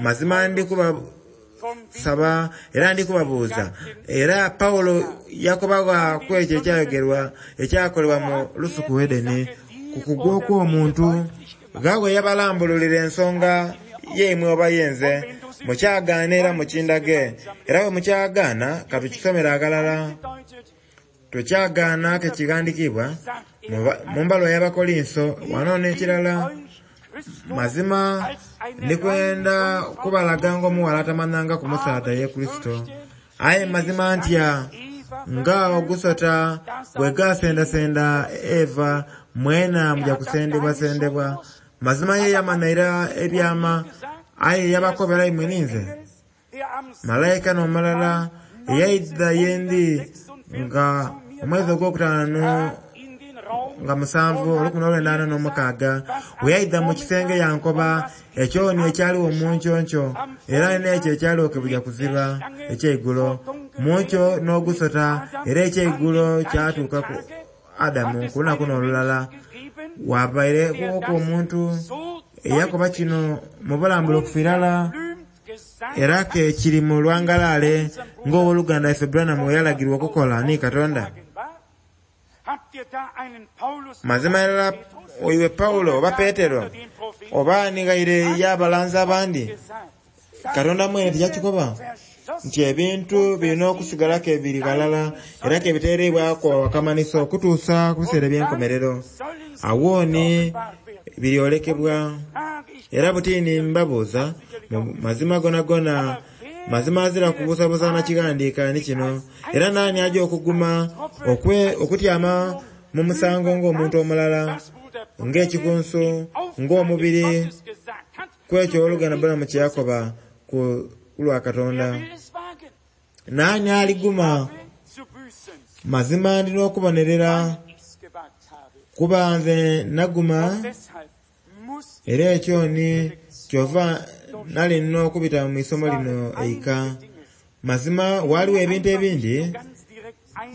Mazima ndi kubasaba era ndi kubabuuza. Era Pawulo yakobagha ku ekyo ekyayogerwa ekyakolebwa mu lusuku Edeni ku kugwa okw'omuntu ghawe yabalambululira ensonga yeimwe oba yenze mukyagaana era mukindage era bwe mukyagaana katukisomere aghalala. Tukyagaana ke kighandiikibwa mu mbaluwa y'Abakolinso wano n'ekirala. Mazima ndikwenda kubalaga ng'omuwala atamanhanga ku musaadha ye Kurisito. Aye mazima ntya nga ogusota bwe gasendasenda Eva mwena muja kusendebwasendebwa. Mazima ye yamanha ebyama aye yabakobera imwe ninze. Malayika n'omulala eyaidha yendi nga omwezi ogwokutaano nga 7 1946 bwe yaidha mu kisenge yankoba ekyoni ekyaliwo mu nkyoncho era n'ekyo ekyaliwo kebuja kuziba ekyeigulo munkyo n'ogusota era ekyeigulo kyatuuka ku Adamu ku lunaku n'olulala. Wabaireku omuntu eyakoba kino mu bulambulukufu irala era ke kiri mu lwangalaale ng'owoluganda ife Branham we yalagirwa okukola ni Katonda. Mazima irala oiwe Pawulo oba Petero oba ni ghaire y'abalanzi abandi, Katonda mwene tiyakikoba nti ebintu birina okusigala ke biri ghalala era ke biteereibwaku akamanhiso okutuusa ku biseera eby'enkomerero. Awo ni biryolekebwa. Era butini mbabuuza mu mazima gonagona mazima azira kubuusabuusa na kighandiika ni kino era naani aja okuguma okutyama mu musango ng'omuntu omulala ng'ekikunsu ng'omubiri ku ekyo oluganda Branham kye yakoba ku lwa Katonda. Naani aliguma? Mazima ndina okubonerera kuba nze naguma era ekyo ni kyova nali nina okubita mu isomo lino eika. Mazima waliwo ebintu ebindi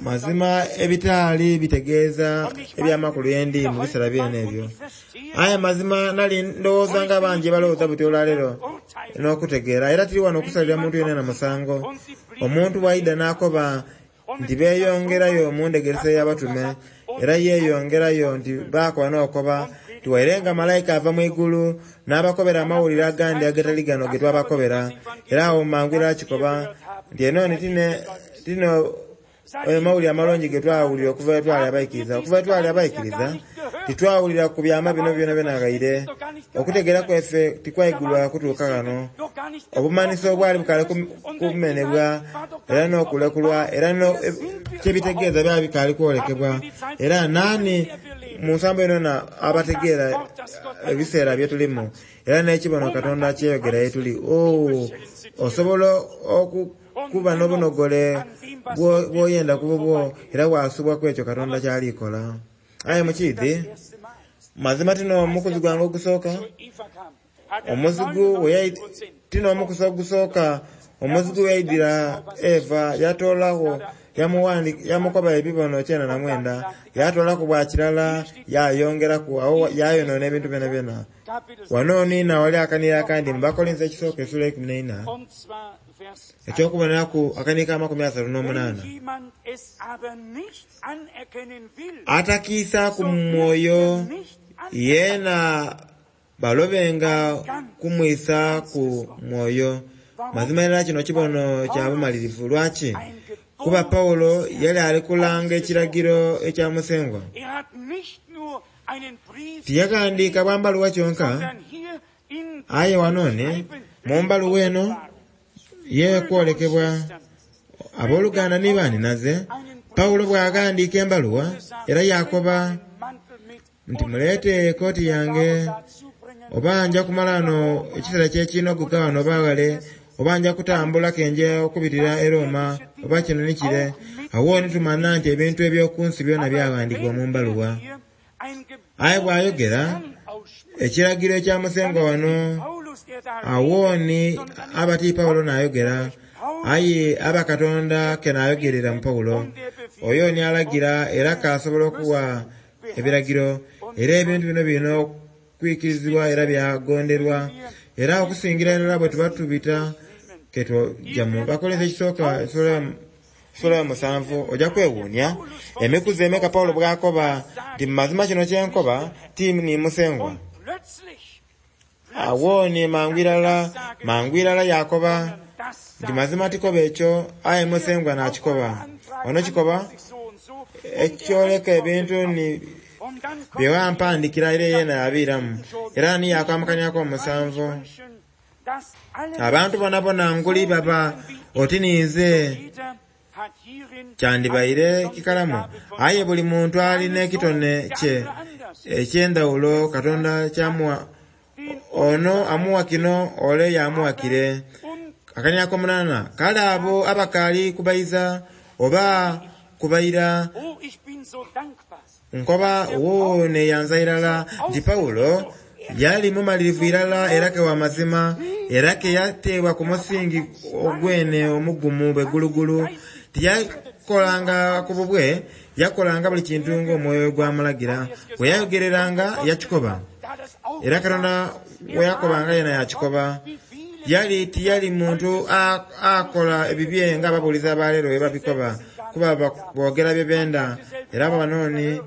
mazima ebitaali bitegeeza ebyamakulu yendi mu biseera byene ebyo. Aye mazima nali ndowooza nga bangi balowooza buti olwaleero n'okutegeera era tiri wano okusalira muntu yenna na musango. Omuntu bw'aidha n'akoba nti beeyongerayo mu ndegeresa y'abatume era yeeyongerayo nti baakoba n'okoba nti waire nga malayika ava mu igulu n'abakobera amawulire agandi agatali gano ge twabakobera era awo mangu era akikoba nti eno ni tine amawulire amalungi ge twawulira okuva etwali abaikiriza. Okuva etwali abaikiriza titwawulira ku byama bino byona byona ghaire. Okutegeera kwaife tikwaigulwa kutuuka ghano. Obumanhiso obwali bukaali kumenebwa era n'okulekulwa era kyebitegeeza byali bikaali kwolekebwa. Era naani mu nsambo yonayona abategeera ebiseera bye tulimu era n'ekibono Katonda kyeyogera ye tuli. Oh, osobola okuba n'obunogole bw'oyenda ku bubwo era wasubwa ku ekyo Katonda kyalikola. Aye mukiidhi mazima tino omukuzi gwange ogusooka. Omuzigu tina omukusa ogusooka omuzigu yaidira Eva yatoolagho yamukoba ebibono 99 yatoolaku bwa kirala yayongeraku awo yayonoona ebintu byonabyona. Wano niina wali akanira akandi mu Bakolinso ekisooka essuula 14 ekyokuboneraku akaniiko 38. Atakiisaaku mu mwoyo yeena balobenga kumwisa ku mwoyo. Mazima ddala kino kibono kya bumalirivu. Lwaki? Kuba Pawulo yali ali kulanga ekiragiro ekya Musengwa. Tiyaghandiika bwa mbaluwa kyonka, aye wano mu mbaluwa eno yekwolekebwa abooluganda ni banhinaze. Pawulo bw'aghandiika embaluwa era yakoba nti muleete ekooti yange, oba nja kumala wano ekiseera kyekinogoka wano oba ghale, oba nja kutambula kenja okubitira e Roma, oba kino ni kire. Awo ni tumanya nti ebintu eby'oku nsi byona byaghandiikibwa mu mbaluwa. Aye bw'ayogera ekiragiro ekya Musengwa wano, awo ni aba ti Pawulo n'ayogera, aye aba Katonda ke n'ayogerera mu Pawulo. Oyo ni alagira era k'asobola okuwa ebiragiro, era ebintu bino birina okwikirizibwa era byagonderwa. Era okusingira irala bwe tuba tubita ketwogya mu Bakolinso ekisooka essuula ya 7 ojja kwewuunia emikuzi emeka Pawulo bw'akoba nti mu mazima kino kyenkoba ti ni Musengwa. Awo ni mangu irala yakoba nti mazima tikoba ekyo aye Musengwa n'akikoba. Ono kikoba ekyoleka ebintu ni bye wampandikira era yeena yabiiramu. Era ni yakwamukaniaku omusanvu. Abantu bonabona nguli baba oti ninze kyandibaire kikalamu, aye buli muntu alina ekitone kye eky'endhawulo Katonda kyamuwa. Ono amuwa kino, ole yamuwa kire. Akaniako 8, kale abo abakaali kubayiza oba kubayira nkoba wo neyanza irala nti Pawulo yali mumalirivu irala era ke wa mazima, era ke yateebwa ku musingi ogwene omugumu bwegulugulu. Tiyakolanga ku bubwe, yakolanga buli kintu ng'omwoyo gwamulagira. Bwe yayogereranga yakikoba, era Katonda bwe yakobanga yena yakikoba. Yali tiyali muntu akola ebibye ng'ababuulizi abaleero bwe babikoba, kuba boogera bye benda, era banooni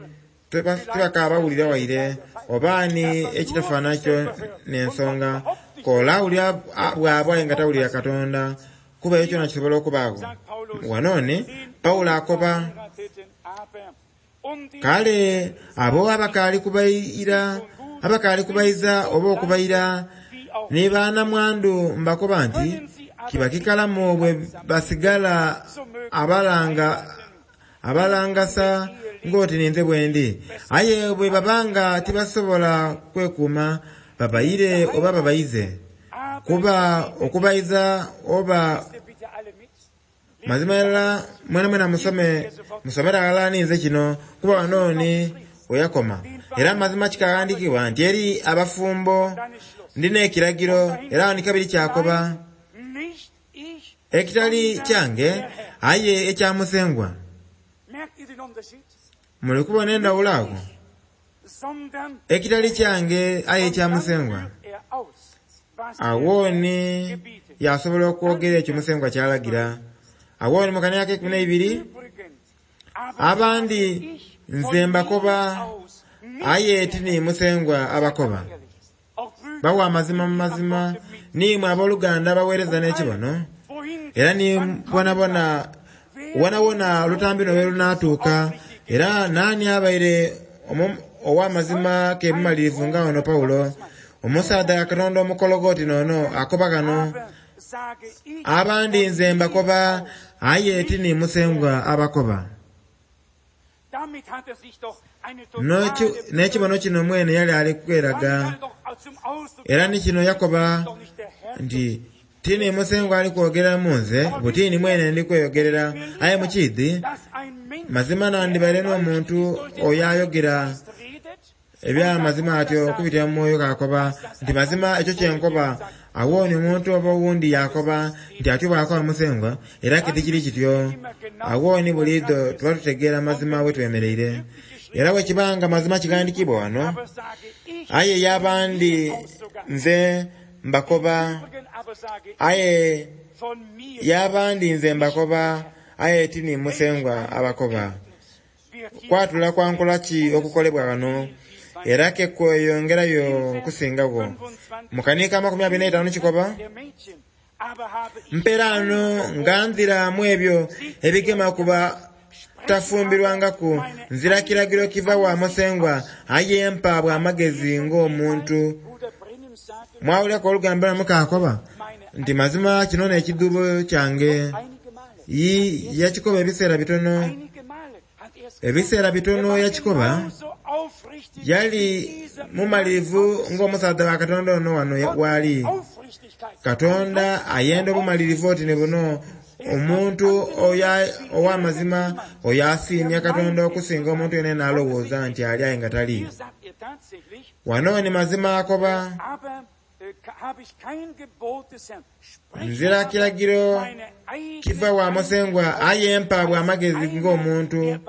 tibakaabawulira waire oba ni ekitafaanana kyo n'ensonga. Kola awulira bw'aba nga tawulira Katonda, kuba ekyo kyona kisobola okubaagho. Wanooni Pawulo akoba kale abo abakaali kubayira abakaali kubayiza oba okubayira ni banamwandu mbakoba nti kiba kikalamu bwe basigala abalangasa ng'oti ninze bwendi. Aye bwe babanga tibasobola kwekuuma babayire oba babayize. Kuba okubayiza oba mazima irala mwenamwena musomere aghalala ninze kino, kuba wanooni weyakoma. Era mazima kikaghandiikibwa nti eri abafumbo ndina ekiragiro, era wano kabiri kyakoba ekitali kyange aye ekya Musengwa. Muli kubona endhawulo ago? Ekitali kyange aye ekya Musengwa. Awo ni yasobola okwogera ekyo Musengwa kyalagira. Awo ni mu kaniaka 12 abandi nze mbakoba aye ti ni Musengwa abakoba. Bawa amazima mu mazima niimwe abooluganda abaweereza n'ekibono, era ni bonabona wonawona olutambi lwe lunaatuuka, era naani abaire ow'amazima ke mumalirivu nga ono Pawulo, omusaadha wa Katonda omukologo noono akoba ghano, abandi nze mbakoba aye ti ni Musengwa abakoba. N'ekibono kino mwene yali ali kweraga, era ni kino yakoba nti ti ni Musengwa ali kwogerera mu nze, buti ni mwene ndi kweyogerera. Aye mukiidhi, mazima nandibaire n'omuntu oyo ayogera. Ebyamazima atyo okubitira mu mwoyo kaakoba nti mazima ekyo kyenkoba. Awooni omuntu oba owundi yakoba nti atyo bw'akoba Musengwa, era ke tikiri kityo. Awooni buliidho tuba tutegeera mazima we twemereire. Era bwe kibanga mazima kighandikibwa wano, aye y'abandi nze mbakoba, aye y'abandi nze mbakoba, aye ti ni Musengwa abakoba. Kwatula kwa nkola ki okukolebwa wano, era ke kweyongerayo okusingagho. Mu kaniika 25 kikoba, Mperaano nga nzira mu ebyo ebigema ku batafumbirwangaku, nzira kiragiro kiva wa Musengwa, aye mpa bwa magezi ng'omuntu. Mwawuliraku olugambo lwa mukaakoba nti mazima kino n'ekidhuubo kyange. Yakikoba ebiseera bitono. Ebiseera bitono yakikoba, yali mumalirivu ng'omusaadha wa Katonda ono wano w'ali. Katonda ayenda obumalirivu oti ni buno, omuntu ow'amazima oyo asiimya Katonda okusinga omuntu yenayena alowooza nti ali aye nga tali. Wano ni mazima akoba, nzira kiragiro kiva wa Musengwa aye mpa bwa magezi ng'omuntu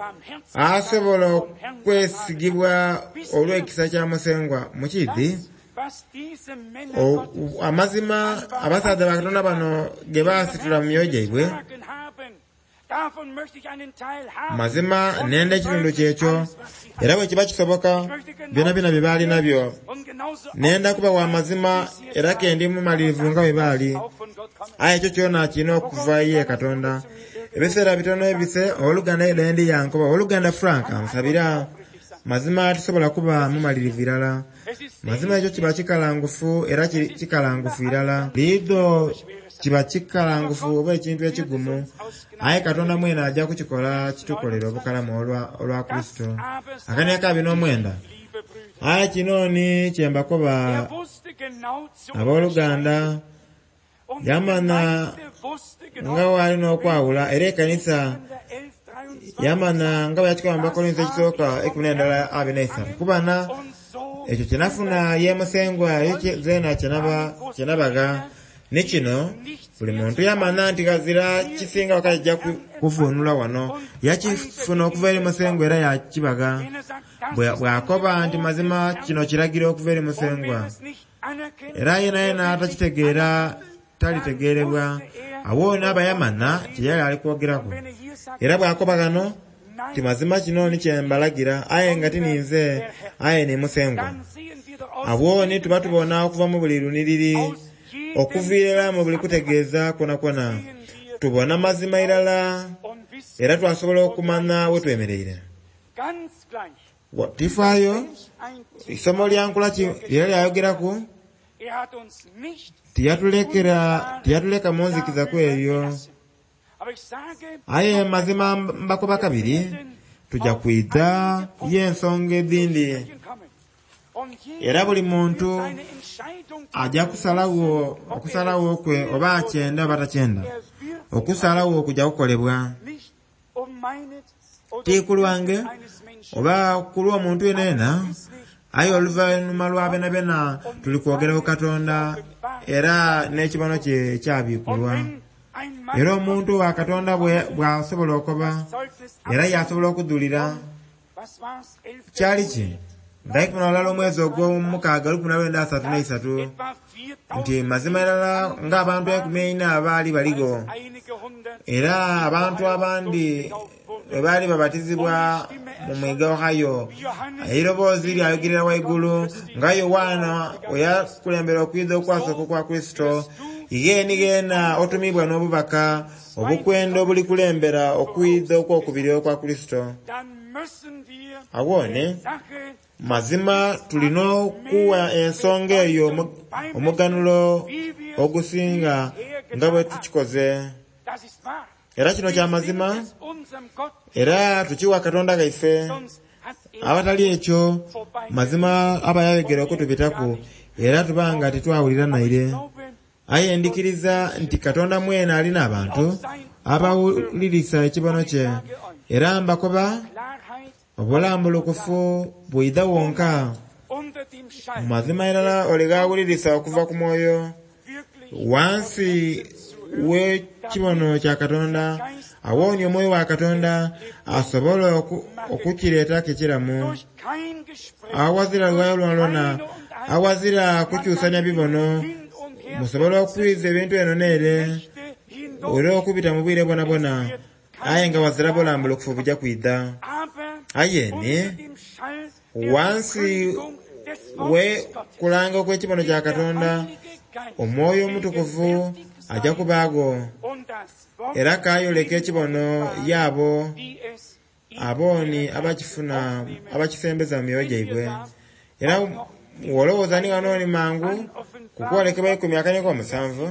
asobola okwesigibwa olw'ekisa kya Musengwa. Mukiidhi, amazima abasaadha ba Katonda bano ge baasitula mu myoyo gyaibwe, mazima nenda ekitundu kyekyo, era bwe kiba kisoboka byonabyona bye baali nabyo. Nenda kuba wa mazima era ke ndi mumalirivu nga bwe baali. Aye ekyo kyona kirina okuva ye Katonda. Ebiseera bitono ebise, owooluganda Edendi yankoba, owooluganda Frank ansabira. Mazima tusobola kuba mumalirivu irala. Mazima ekyo kiba kikalangufu era kikalangufu irala. Liidho kiba kikalangufu oba ekintu ekigumu, aye Katonda mwene ajja kukikola kitukolere obukalamu olwa Kurisito. Akaniaka 29. Aye kino ni kyembakoba abooluganda, yamana nga wali n'okwawula era ekanisa yamana nga bwe yakikoba mu Bakorinso ekisooka 11:23 kubana ekyo kyenafuna ye Musengwa ekyo zeena kyenabagha. Ni kino buli muntu yamana nti ghazira kisinga wakajja kuvunula wano, yakifuna okuva eri Musengwa era yakibagha. Bw'akoba nti mazima kino kiragiro okuva eri Musengwa, era yenayena atakitegeera talitegeerebwa. Awo n'aba yamana kye yali ali kwogeraku. Era bw'akoba ghano ti mazima kino ni kyembalagira, aye nga ti ninze, aye ni Musengwa. Awo ni tuba tubona okuva mu buli luniriri, okuviira mu buli kutegeeza kwonakwo, tubona mazima irala, era twasobola okumanya we twemereire. Tifaayo, isomo lya nkola ki lyali lyayogeraku, tiyatuleka mu nzikiza ku ebyo. Aye mazima mbakoba kabiri, tujja kwidha y'ensonga edhindi. Era buli muntu ajja kusalagho okusalagho kwe oba akyenda oba takyenda. Okusalagho kujja kukolebwa. Ti ku lwange oba ku lw'omuntu yenayena, aye oluvannyuma lwa byonabyona tuli kwogera ku Katonda era n'ekibono kye kyabikulwa. Era omuntu wa Katonda bw'asobola okoba, era yasobola okudhulira. Kyali ki? Nga 11 omwezi ogw'omukaaga 1933 nti mazima irala ng'abantu 40 baali baligho, era abantu abandi bwe baali babatizibwa mu mwiga Ohio, eiroboozi lyayogerera waigulu nga Yowaana we yakulembera okwidha okwasooka okwa Kurisito, igheeni gheena otumibwa n'obubaka obukwenda obulikulembera okwidha okwokubiri okwa Kurisito. Awone mazima tulina okuwa ensonga eyo omuganulo ogusinga nga bwe tukikoze. Era kino kya mazima, era tukiwa Katonda ghaife. Abatali ekyo, mazima aba yayogera okutubitaku, era tuba nga titwawulira naire. Aye ndikiriza nti Katonda mwene alina abantu abawulirisa ekibono kye, era mbakoba obulambulukufu bwidha wonka. Mazima irala ole gawulirisa okuva ku mwoyo wansi w'ekibono kya Katonda, awooni omwoyo wa Katonda asobola okukireetaku ekiramu. Awazira luwayo lwonalwona, awazira kukyusanya bibono, musobola okwiza ebintu eno n'ere era okubita mu bwire bwonabwona, aye nga wazira bulambulukufu buja kwidha. Aye ni wansi we kulanga okw'ekibono kya Katonda, omwoyo omutukuvu ajja kubaago era kayoleka ekibono y'abo abooni abakifuna abakisembeza mu myoyo gyaibwe. Era wolowooza ni ghano ni mangu kukwolekebwa eikumi akaneka omusanvu,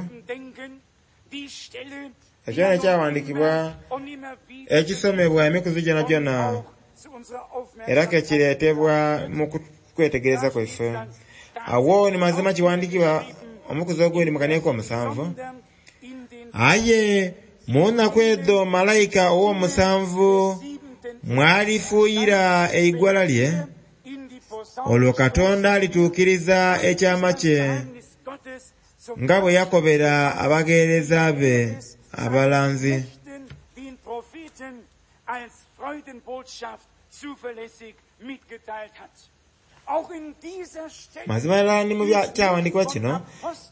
ekyo n'ekyawandiikibwa ekisomebwa emikuzi gyonagyona era kekireetebwa mu kwetegereza kwaife. Awo ni mazima kiwandiikibwa omukuzi ogundi mu kaneka omusanvu, aye mu nnaku edho malayika ow'omusanvu mwalifuuyira eigwala lye, olwo Katonda alituukiriza ekyama kye nga bwe yakobera abagheereza be abalanzi. Mazima irala ni mu kyawandiikibwa kino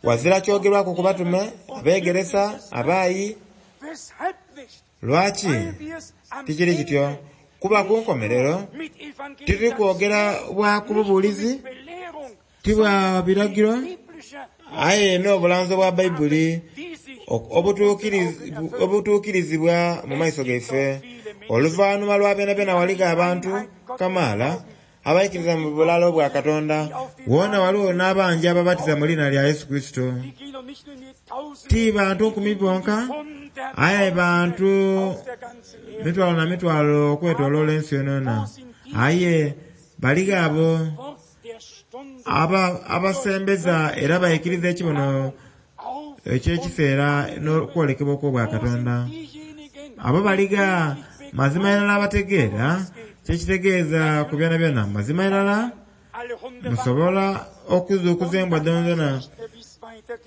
wazira kyogerwaku ku batume, abeegeresa, abaayi. Lwaki tikiri kityo? Kuba ku nkomerero tituli kwogera bwa ku bubuulizi, ti bwa biragiro, aye n'obulanzi obwa Baibuli obutuukirizibwa mu maiso gaife. Oluvannyuma lwa byonabyona waligho abantu kamaala abaikiriza mu bulalo bwa Katonda. Wona waliwo n'abangi ababatiza mu liina lya Yesu Kristo. Ti bantu nkumi bonka, aye bantu mitwalo na mitwalo okwetoloola ensi yonayona. Aye baligho abo abasembeza era baikiriza ekibono eky'ekiseera n'okwolekebwa okw'obwakatonda. Abo baligha mazima irala abategeera kyekitegeeza ku byonabyona. Mazima irala musobola okuzuukuza embwa dhonadhona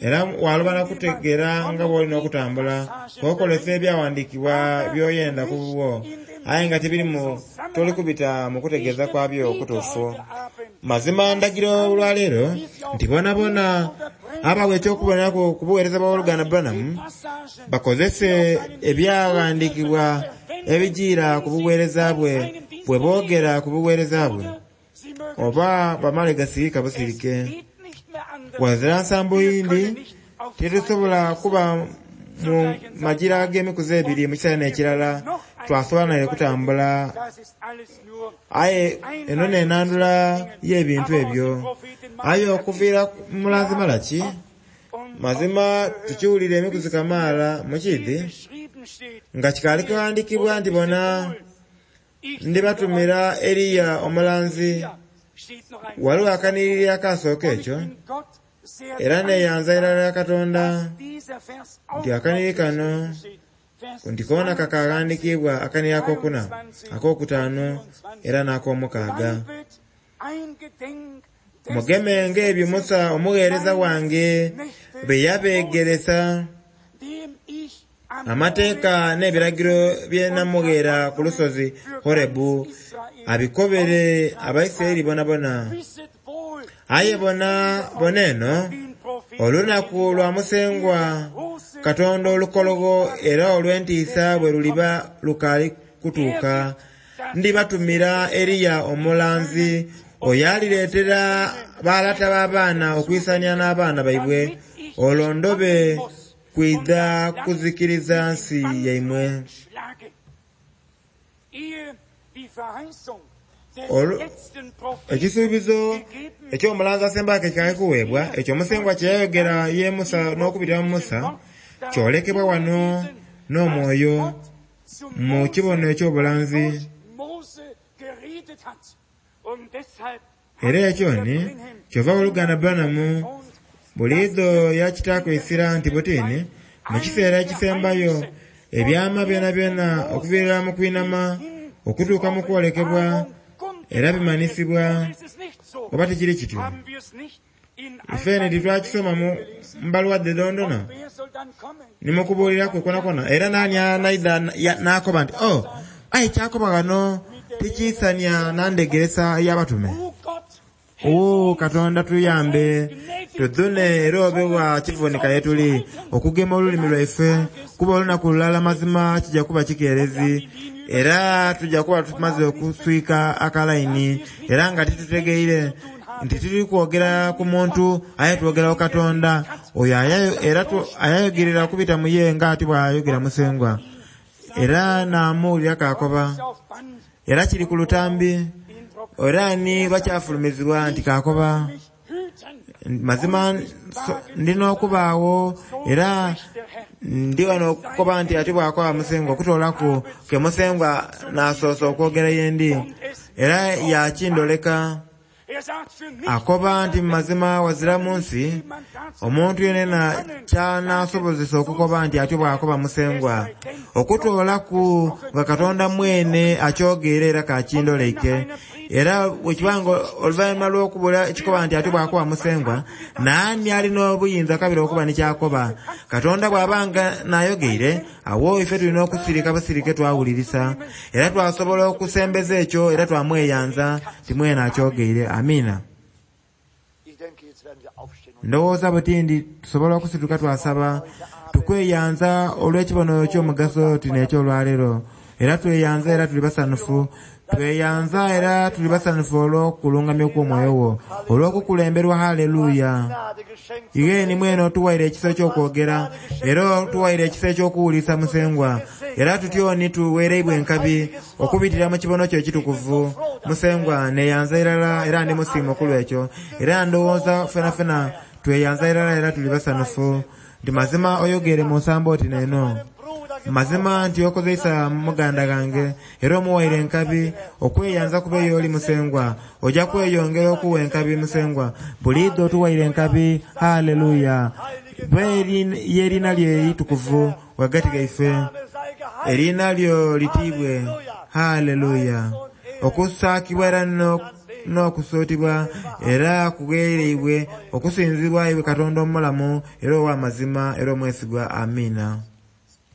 era waloba na kutegeera nga bw'olina okutambula k'okozesa ebyawandiikibwa by'oyenda ku bubwo, aye nga tibirimu toli kubita mu kutegeeza kwabyo okutuufu. Mazima ndagira olwaleero nti bonabona abawa eky'okuboneraku ku buweereza bwa Oluganda Branham bakozese ebyawandiikibwa ebijiira ku buweereza bwe bwe boogera ku buweereza bwe, oba bamale gasirika busirike. Wazira nsambo yindi titusobola kuba mu magira ag'emikuzi ebiri mu kiseera n'ekirala twasobola naire kutambula. Aye eno n'enandula y'ebintu ebyo. Aye okuviira mu mulanzi Malaki, mazima tukiwulira emikuzi kamaala mu kiidhi nga kikaali kughandiikibwa nti bona ndibatumira Eriya omulanzi. Waliwo akanhiriri akasooka ekyo, era neeyanza irala ya Katonda nti akanhiriri kano nti koona kakaghandiikibwa akanhiriri akokuna, akokutaanu era n'akomukaaga. Mugemenga ebyo Musa omugheereza wange bye yabeegeresa, amateeka n'ebiragiro bye namugheera ku lusozi Horebu, abikobere Abaisiraeli bonabona. Aye bona bona eno, olunaku lwa Musengwa Katonda olukologho era olw'entiisa bwe luliba lukaali kutuuka, ndibatumira Eriya omulanzi oyo alireetera balata b'abaana okwisania n'abaana baibwe, olwo ndobe kwidha kuzikiriza nsi yaimwe. Ekisuubizo eky'omulanzi asembaku ekikaali kuweebwa, ekyo Musengwa kye yayogera ye Musa n'okubitira mu Musa, kyolekebwa wano n'omwoyo mu kibono eky'obulanzi. Era ekyo ni kyova oluganda Branham buliidho yakitaaku eisira nti butini mu kiseera ekisembayo ebyama byonabyona okuviira mu kwinama okutuuka mu kwolekebwa era bimanisibwa. Oba tikiri kityo? Ifeene titwakisoma mu mbaluwa dhe dhondona ni mu kubuuliraku kwonakwo. Era naani anaidha n'akoba nti, oh, aye kyakoba ghano tikiisania na ndhegeresa ey'abatume. Oo, Katonda tuyambe tudhune era obe wa kivunika ye tuli okugema olulimi lwaife, kuba olunaku lulala mazima kijja kuba kikeerezi, era tujja kuba tumaze okuswika akalaini, era nga titutegeire nti tuli kwogera ku muntu aye twogera ku Katonda oyo era ayayogerera okubita mu ye nga ati bw'ayogera Musengwa. Era naamuwulira kaakoba, era kiri ku lutambi, era ni lwakyafulumizibwa nti kaakoba, mazima ndina okubaawo, era ndi wano okukoba nti ati bw'akoba Musengwa, okutoolaku ke Musengwa n'asoose okwogera yendi, era yakindoleka. Akoba nti mazima wazira mu nsi, omuntu yenena ky'anaasobozesa okukoba nti atyo bw'akoba Musengwa, okutoolaku nga Katonda mwene akyogeire era kakindoleike. Era bwekibanga oluvannyuma lw'okubula ekikoba nti atyo bw'akoba Musengwa, naani alina obuyinza kabiri okuba ni kyakoba? Katonda bw'abanga n'ayogeire, awo ife tulina okusirika busirike twawulirisa, era twasobola okusembeza ekyo era twamweyanza nti mwene akyogeire. Amiina. Ndowooza butindi tusobola okusituka twasaba, tukweyanza olw'ekibono ky'omugaso tino eky'olwaleero, era tweyanza era tuli basanufu, tweyanza era tuli basanufu olw'okulungamya okw'omwoyo wo, olw'okukulemberwa. Haleluya. Igheni mwene otuwaire ekisa eky'okwogera, era otuwaire ekisa eky'okuwulisa Musengwa, era tutyoni tuweereibwa enkabi okubitira mu kibono kyo ekitukuvu. Musengwa neyanza irala era ndi musiimu okulwekyo, era ndowooza fenafena tweyanza irala era tuli basanufu nti mazima oyogere mu nsambo oti neno. Mazima nti okozeisa muganda gange era omuwaire enkabi okweyanza kuba ey'oli Musengwa, ojja kweyongera okuwa enkabi Musengwa buliidho otuwaire enkabi. Haleluya. Ye erina lyo eritukuvu ghagati gaife, erina lyo litiibwe. Haleluya. Okusaakibwa era n'okusuutibwa era kugheereibwe okusinzibwa iwe Katonda omulamu era ow'amazima era omwesigwa. Amiina.